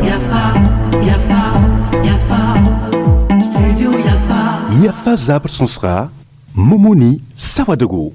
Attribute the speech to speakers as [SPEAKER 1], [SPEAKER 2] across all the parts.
[SPEAKER 1] Yafa, Yafa, Yafa, Studio Yafa.
[SPEAKER 2] Yafa zabr sõsga Momoni Sawadogo.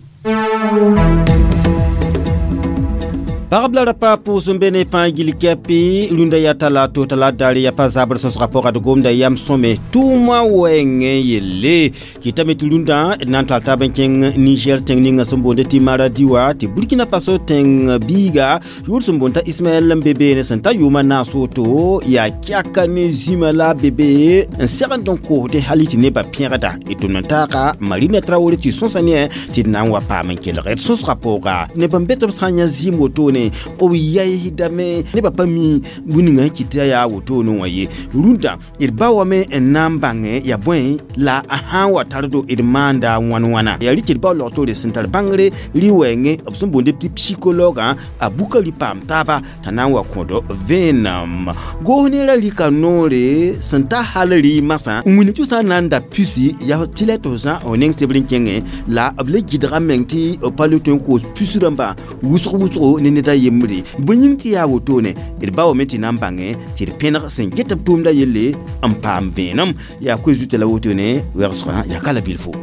[SPEAKER 3] Pagb la rapa pʋʋs n be ne fãa gill kɛpɩ rũndã yaa tala to tala daare yaa fa zabr sõsga pʋga d gomda yam sõme tʋʋmã wɛɛngẽ yelle kɩtame tɩ rũndã d na n tar taab n kẽng Niger tẽng ninga sẽn boonde tɩ Maradi wã tɩ Burkina Faso tẽng biiga yʋʋr sẽn boond t'a Ismaɛl n be beene sẽn ta yʋʋmã naas woto yaa kɛka ne zĩma la a be be n segend n koosdẽ hal tɩ nebã pẽgda d tʋmd n taaga Marina Traoré tɩ sõsa ne tɩ d na n wa paam n kelg d sõsga pʋga neb n be tɩ b sã n yã zĩim wotone b yaisdame nebã pa mi bũmb ninga sẽn kɩt tɩ yaa wotone wã ye rũndã d ba wame n na n bãngẽ yaa bõe la a sã n wa tardo d maanda wãn wãna yaa rɩ tɩ d bao log-toore sẽn tar bãngre rɩ-wɛɛngẽ b sẽn boonde tɩ psychologue a buka rɩ paam taaba t'a na n wa kõd vẽenem goos neerã rɩka noore sẽn ta hal rɩ masã n wilg tɩ sã n na n da pusi yaa tɩ la tɩ f zã f neng sebr n kẽngẽ la b le gɩdga meng tɩ b pa le tõe n koos pus rãmba wʋsg wʋsgo ne ned a yembre bõe yĩng tɩ yaa wotone d ba wame tɩ na n bãngẽ tɩ d pẽneg sẽn get b tʋʋmda yelle n paam vẽenem yaa koe zuta la wotone wɛgsgã yaa ka la bilfo.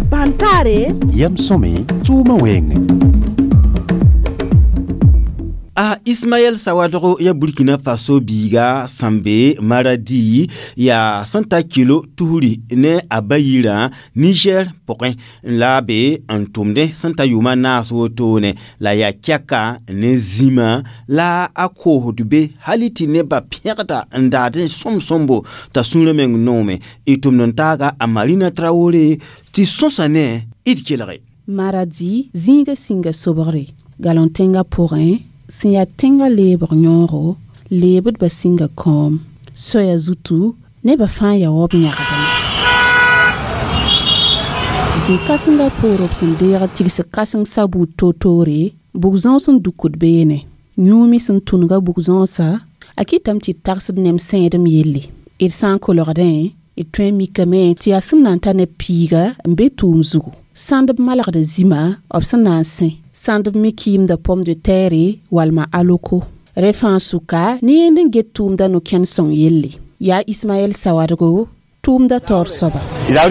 [SPEAKER 4] Bãn-taare
[SPEAKER 2] Yam sõme tʋʋmã wɛɛngẽ.
[SPEAKER 3] A Ismaɛl Sawadogo ya Burkina Faso biiga sẽn be Maradi yaa sẽn ta kilo tusri ne a ba yirã Niger pʋgẽ la a be n tʋmdẽ sẽn ta yʋʋmã naas wotone la yaa kɛka ne zĩma la a koosd be hal tɩ nebã pẽgda n daadẽ sõm-sõmbo t'a sũurã meng noome d tʋmd n taaga a Marina Traoré tɩ sõsa ne d kelge.
[SPEAKER 4] Maradi zĩiga sĩnga sobgre galon tẽngã pʋgẽ sẽn yaa tẽngã leebg yõogo leebdbã sĩnga kõom soaya zutu nebã fãa yaa wa b yãgdame zĩ-kãsengã poor b sẽn deeg tigs kãseng sabuud toor-toore bug-zõos n dukd beene yũumi sẽn tũnga bug-zõosã a kɩtame tɩ d tagsd nem sẽedem yelle d sã n kolgdẽ d tõe n mikame tɩ yaa sẽn na n ta neb piiga n be tʋʋm zugu sãnd b malgda zĩma b sẽn na n sẽ sãnd b me kɩɩmda pomme de terre walma aloko rẽ fãa sʋka ne yẽnd n get tʋʋmda no-kẽnd sõng yelle yaa Ismaɛl Sawadogo tʋʋmda taoor soaba yaa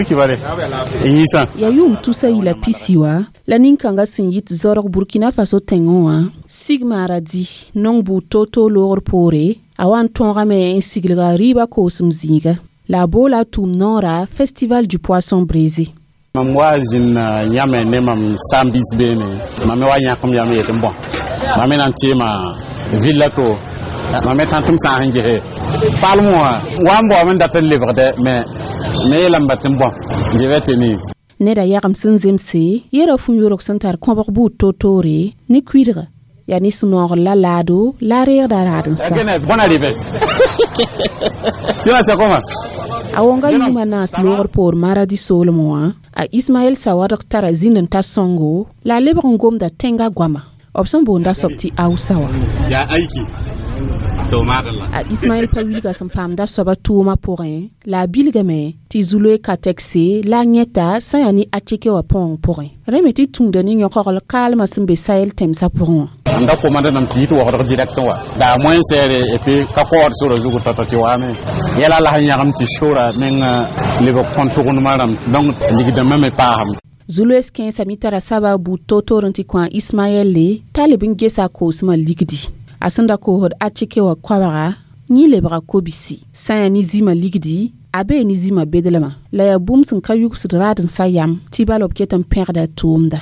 [SPEAKER 4] yʋʋm tusa yila pisi wa la nin-kãngã sẽn yit zorg Burkina Faso tẽngẽ wã sig Maradi nong buud toor-toor loogr poore a wa n tõogame n siglga rɩɩbã koosem zĩiga la a boola a tʋʋm noora Festival du poisson braisé.
[SPEAKER 5] Mam wa zĩnd yãme ne mam saam-biis beene mam me wa yãk m yam yet n bõ mam me na n tɩɩma villa to mam me tã tɩ m sã n gese palm wã wa n baoame n dat n lebgdɛ me me yeelame tɩ n bõ je vais tenir.
[SPEAKER 4] Neda yagem sẽn zemse yera fu-yorg sẽn tar kõbg buud toor-toore ne kuidga yaa ne sũ-noogr la laado la a reegda raad n sa.
[SPEAKER 5] Bonne arrivée. Tina, c'est comment?
[SPEAKER 4] A wonga yʋʋmã naas loogr poor Maradi soolmẽ wã a Ismaɛl Sawadg tara zĩnd n ta sõngo la a lebg n gomda tẽngã goama b sẽn boonda soab tɩ Hausa wã.
[SPEAKER 5] Ya aiki. To madalla.
[SPEAKER 4] A Ismaɛl pa wilga sẽn paamda soabã tʋʋmã pʋgẽ la a bilgame tɩ Zuloe Kategse la a yẽta sã yaa ne Atike wã põong pʋgẽ rẽ me tɩ tũuda ne yõkogl kaalmã sẽn be Sahel tẽmsã pʋgẽ wã.
[SPEAKER 5] N da komanda nam tɩ yit waoodg direct wã daa moins cher et puis ka kaood sora zugu tao-tao tɩ waame yɛla la sẽn yãgem tɩ sora meng lebg kõn tʋgendmã rãmb donc ligdãmbã me paasame.
[SPEAKER 4] Zuloes kẽensã me tara saba buud toor-toor n tɩ kõ a Ismaɛl le t'a leb n gesa a koosmã ligdi a sẽn da koosd Atike wã koabga yẽ lebga kobisi sã n yaa ne zĩmã ligdi a bee ne zĩmã bedlmã la yaa bũmb sẽn ka yugsd raad n sa yam tɩ bala b ket n pẽgda a tʋʋmda.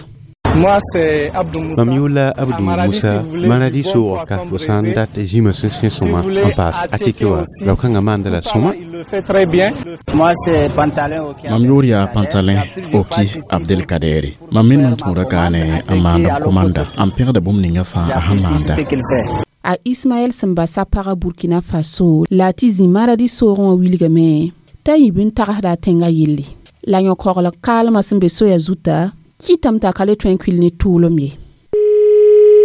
[SPEAKER 6] Moi, c'est Abdou Moussa.
[SPEAKER 7] Mam yʋʋr Abdou
[SPEAKER 6] À Maradi,
[SPEAKER 7] Moussa
[SPEAKER 6] si vous voulez
[SPEAKER 7] Maradi
[SPEAKER 6] du bon
[SPEAKER 7] soogr ka
[SPEAKER 6] poisson
[SPEAKER 7] fo sã n
[SPEAKER 6] braisé,
[SPEAKER 7] dat zĩmã sẽn sẽ
[SPEAKER 6] si
[SPEAKER 7] sõma
[SPEAKER 6] vous voulez
[SPEAKER 7] n paas
[SPEAKER 6] Attiéké
[SPEAKER 7] Atike wã
[SPEAKER 6] aussi,
[SPEAKER 7] rao-kãngã maanda la
[SPEAKER 6] tout ça,
[SPEAKER 7] sõma.
[SPEAKER 6] il le fait très bien.
[SPEAKER 8] Moi, c'est Pantalon Oki.
[SPEAKER 9] Mam yʋʋr yaa Pantalin Oki Abdelkadere mam me mam tũuda kaane n maand b komanda n pẽgda bũmb ninga fãa a sẽn maanda.
[SPEAKER 8] Ce qu'il fait.
[SPEAKER 4] A Ismaɛl sẽn bas a pagã Burkina Faso la a tɩ zĩ Maradi soogẽ wã wilgame t'a yĩb n tagsda a tẽngã yelle la yõ-kogl kaalmã sẽn be soaya zuta kɩtame t'a ka le tõe n kuil ne tʋʋlem ye.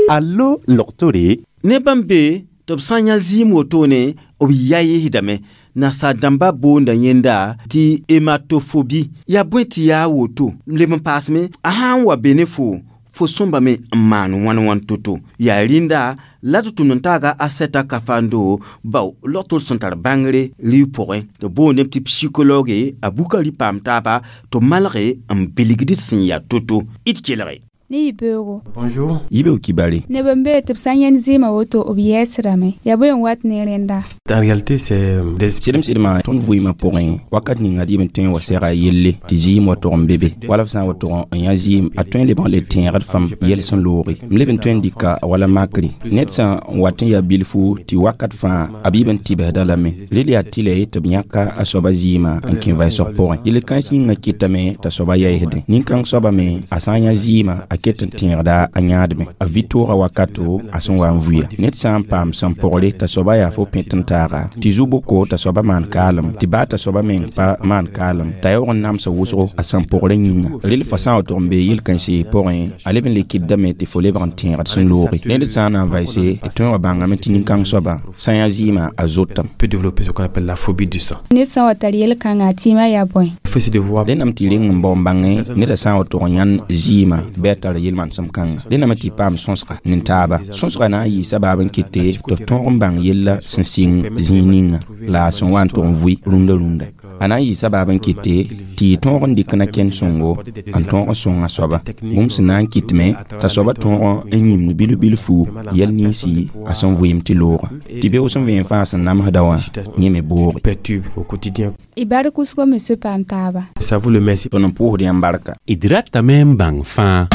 [SPEAKER 2] Allo log-toore
[SPEAKER 3] ne bãmb be tɩ b sã n yã zɩɩm wotone b yaɩsdame Nasaar dãmba boonda yẽnda tɩ hématophobie. Yaa bõe tɩ yaa woto leb n paasme a sã n wa be ne fo sõmbame n maan wãn wãn to-to yaa rĩnda la tɩ tʋmd n taaga a sɛta kafando bao log-tol sẽn tar bãngre rɩ pʋgẽ tɩ boondame tɩ psychologue a bukari paam taaba tɩ malge n bilgd sẽn yaa to-to d kelge.
[SPEAKER 7] Ne yibeoogo.
[SPEAKER 10] Bonjour.
[SPEAKER 11] Yibeoog kibare.
[SPEAKER 7] Neb n be tɩ b sã n yãend zɩɩmã woto b yɛɛsdame. Yaa bõe n wat ne rẽnda?
[SPEAKER 10] En réalité, c'est des
[SPEAKER 11] Sɩdem sɩdmã tõnd vɩɩmã pʋgẽ wakat ninga d yɩb n tõe n wa sɛga yelle tɩ zɩɩm wa tog n be be wala f sã n wa tog n yã zɩɩm a tõe n lebg n le tẽegd fãm yɛl sẽn looge m leb n tõe n dɩka wala makre ned sã n wat n yaa bilfu tɩ wakat fãa b yɩb n tɩbsda lame rel yaa tɩlɛ tɩ b yãka a soaba zɩɩmã n kẽ vɩsg pʋgẽ yel-kãens yĩngã kɩtame t'a soaba yaɩsdẽ nin-kãng soaba me a sã n yã zɩɩmã a ket n tẽegda a yãadme a vɩ-tooga wakato a sẽn wa n vʋya ned sã n paam sẽn pogre t'a soaba yaa fo pẽt n taaga tɩ zu-boko t'a soaba maan kaalem tɩ baa t'a soaba meng pa maan kaalem t'a yaoog n namsa wʋsgo a sẽn pogrã yĩnga rel fo sã n wa tʋg n bee yel-kãense pʋgẽ a leb n le kɩtdame tɩ fo lebg n tẽegd sẽn looge ned sã n na n vaɩse d tõe n wa bãngame tɩ nin-kãng soaba sã n yã zɩɩmã a zotame.
[SPEAKER 10] Peut développer ce qu'on appelle la phobie du sang.
[SPEAKER 7] Ned sã n wa tar yel-kãngã a tɩɩmã yaa bõe?
[SPEAKER 10] Il faut essayer de voir.
[SPEAKER 11] Rẽndame tɩ reng n bao n bãngẽ neda sã n wa tʋg n yãnd zɩɩmã bɩ a tar yel-manesem kãnga rẽndame tɩ paam sõsga ne taaba sõsga na n yɩ sabaab n kɩte tɩ f tõog n bãng yella sẽn sɩng zĩig ninga la a sẽn wa n tʋg n vʋɩ rũndã rũndã a na n yɩ sabaab n kɩte tɩ y tõog n dɩk na-kẽnd sõngo n tõog n sõng a soaba bũmb sẽn na n kɩtme t'a soaba tõog n yĩmd bilf-bilfu yɛl ninsi a sẽn vɩɩm tɩ looga tɩ beoog sẽn vẽen fãa sẽn namsda wã yẽ me booge.
[SPEAKER 10] Perturbe au quotidien.
[SPEAKER 7] Y bark wʋsgo me soe paam taaba.
[SPEAKER 10] Ça vous le merci.
[SPEAKER 11] Tõnd n pʋʋsd yãmb barka.
[SPEAKER 2] D ratame n bãng fãa.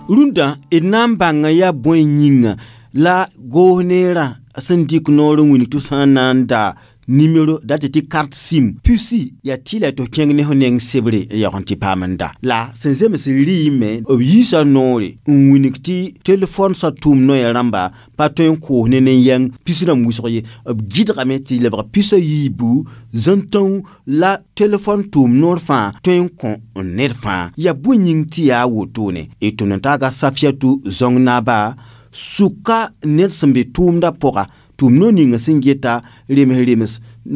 [SPEAKER 3] Rũndã d na n bãnga yaa bõe yĩnga la goos neerã sẽn dɩk noor n wilg tɩ sã n na n da nimero dat tɩ carte SIM pusi yaa tɩ la tɩ kẽng ne fo neng sebre n yaoog n tɩ paam n da la sẽn zems rɩɩme b yiisa noore n wilg tɩ telefon sã tʋʋm noya rãmba pa tõe n koos ne nen-yɛng pis rãmb wʋsg ye b gɩdgame tɩ lebg pis a yiibu zãn-tão la telefon tʋʋm noor fãa tõe n kõ n ned fãa yaa bõe yĩng tɩ yaa wotone d tʋmd n taaga Safiatou zõng naaba sʋka ned sẽn be tʋʋmdã pʋga tʋʋm no ninga sẽn geta rems rems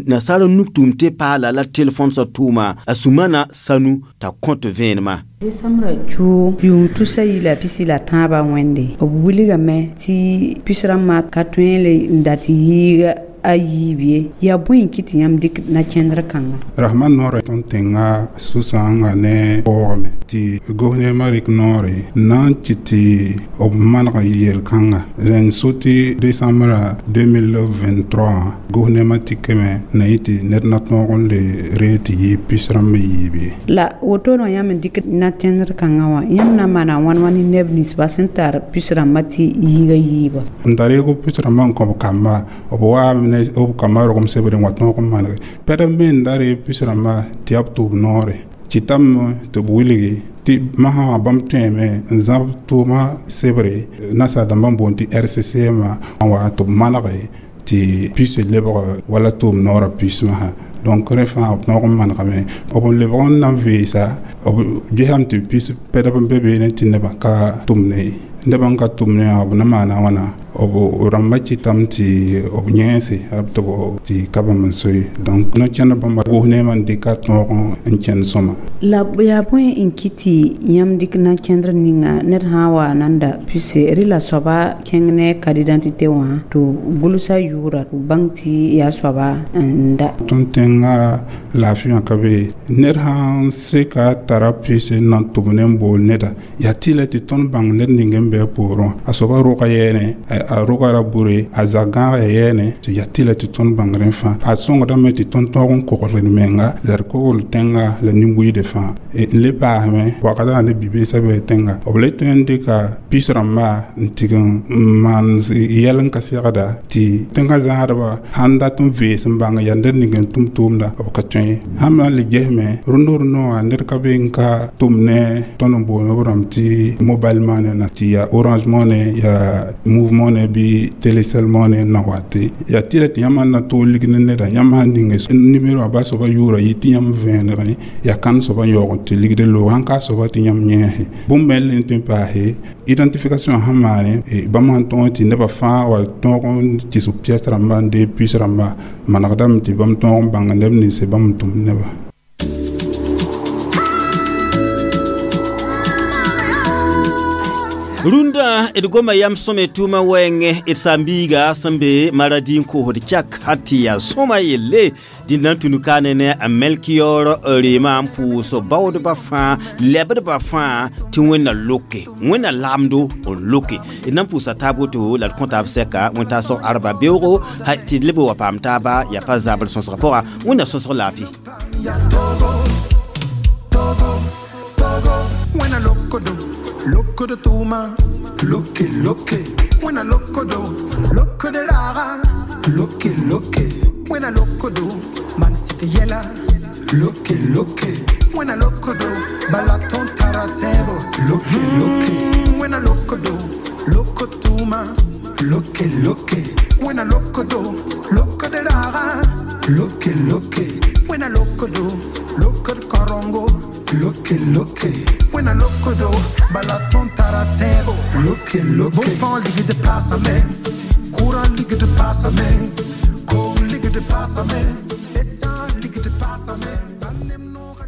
[SPEAKER 3] nasaar nuk tʋʋm tɩ paala la telefon sã tʋʋma a Sumana Sanu t'a kõt vẽenemã.
[SPEAKER 12] Desambrã cuug yʋʋm tusa yi la pisi la tãabã wẽnde b wilgame tɩ pis rãmbã ka tõe le n dat yɩɩga a yiib ye yaa bõe n kɩ tɩ yãmb dɩk na-kẽndr kãnga.
[SPEAKER 5] Rasmã noorã tõnd tẽnga sũ-sãoongã ne waoogame tɩ gouvernement rɩk noore na n kɩt tɩ b maneg yel-kãnga rẽnd so tɩ décembre 2023 gouvernement tɩkame na yẽ tɩ ned na tõog n le ree tɩ yɩ pis rãmb yiib ye.
[SPEAKER 12] La wotone wã yãmb n dɩk na-kẽndr kãngã wã yãmb na n maana wãn wãn ne neb ninsbã sẽn tar pis rãmbã tɩ yiiga yiiba.
[SPEAKER 5] N da reeg pis rãmbã n kõ b kamba b waame ne b kamba rogem sebre n wa tõog n manege pɛd n me n da ree pis rãmbã tɩ yaa b tʋʋb noore kɩtame tɩ b wilgi tɩ masã wã bãmb tõeme n zãb tʋʋmã sebre nasaar dãmbã n boond tɩ RCCM n wa tɩ b manege tɩ pis lebg wala tʋʋm noorã pis masã donc rẽ fãa b tõog n manegame b n lebg n na n veesa b gesame tɩ pis pɛdb n be beene tɩ nebã ka tʋmne ye nebã n ka tʋmne wã b na maana wãna b rãmbã kɩtame tɩ b yẽese tɩ b tɩ ka bãmb n soe donc no-kẽnd bãmba gouvernement n dɩka tõog n kẽnd sõma.
[SPEAKER 12] La yaa bõe n kɩ tɩ yãmb dɩk na-kẽndr ninga ned sã n wa nan da pise rɩla soaba kẽng ne carte d'identité wã tɩ gʋlsa yʋʋra tɩ bãng tɩ yaa soaba n da.
[SPEAKER 5] Tõnd tẽngã laafɩ wã ka be ned sãn seka tara pʋɩs n na n tʋm ne n bool neda yaa tɩlɛ tɩ tõnd bãng ned ning n be a poorẽ wã a soaba rʋga yɛɛne a rʋga ra bure a zag-gãaga yɛɛne tɩ yaa tɩlɛ tɩ tõnd bãng rẽ fãa a sõngdame tɩ tõnd tõog n kogl d menga la d kogl tẽnga la nin-buiide fãa n le paasme wakatã ne bi-beesã bɩ tẽnga b le tõe n dɩka pis rãmbã n tig n maan yɛl n ka segda tɩ tẽngã zãadbã sãn dat n vees n bãng yaa ned ning n tʋm tʋʋmda b ka tõe sãn na n le gesme rũndã rũndã wã ned ka be n ka tʋm ne tõnd n boond b rãmb tɩ mobile money na tɩ yaa Orange Money yaa Moov Money bɩ Telecel Money n na wa tɩ yaa tɩlɛ tɩ yãmb sãn na toog lig ne neda yãmb sãn ninge nimero wã ba soaba yʋʋra yɩ tɩ yãmb vẽenegẽ yaa kãn soaba.
[SPEAKER 13] soaba n yaoog n tɩ ligd loog sãn ka soaba tɩ yãmb yẽese bũmb me n tõe n paase identification sẽn maane bãmb sẽn tõog tɩ nebã fãa wa tõog n kɩs piɛs rãmba n deeg puce rãmba manegdame tɩ bãmb tõog n bãng neb nins bãmb n tʋmd nebã.
[SPEAKER 3] Rũndã d goma yam sõme tʋʋmã wɛɛngẽ d saam-biiga sẽn be Maradi n koosd kyak hal tɩ yaa sõma yelle dĩnd n tũnu kaane ne a Melkior reema n pʋʋs baoodbã fãa lɛbdbã fãa tɩ Wẽnna loke Wẽnna lagmdo n loke d na n pʋʋsa taab woto la d kõ taab sɛka wẽn-taasg arba beoogo tɩ d leb n wa paam taaba yaa pa zabr sõsgã pʋga Wẽnna sõsg laafɩ.
[SPEAKER 14] Loko de tuma, loke loke. When I loko do, loko de rara, loke loke. When I loko do, man city yella, loke loke. When I loko do, balaton taratebo, loke loke. When I loko do, loko tuma, loke loke. When I loko do, loko de rara, loke loke. When I loko do, loko de korongo, loke loke. When I loko do, balaton taratebo, loke loke. Bon ligger de passa me, courant ligger de passa me, kom ligger de passa me, essa ligger de passa me.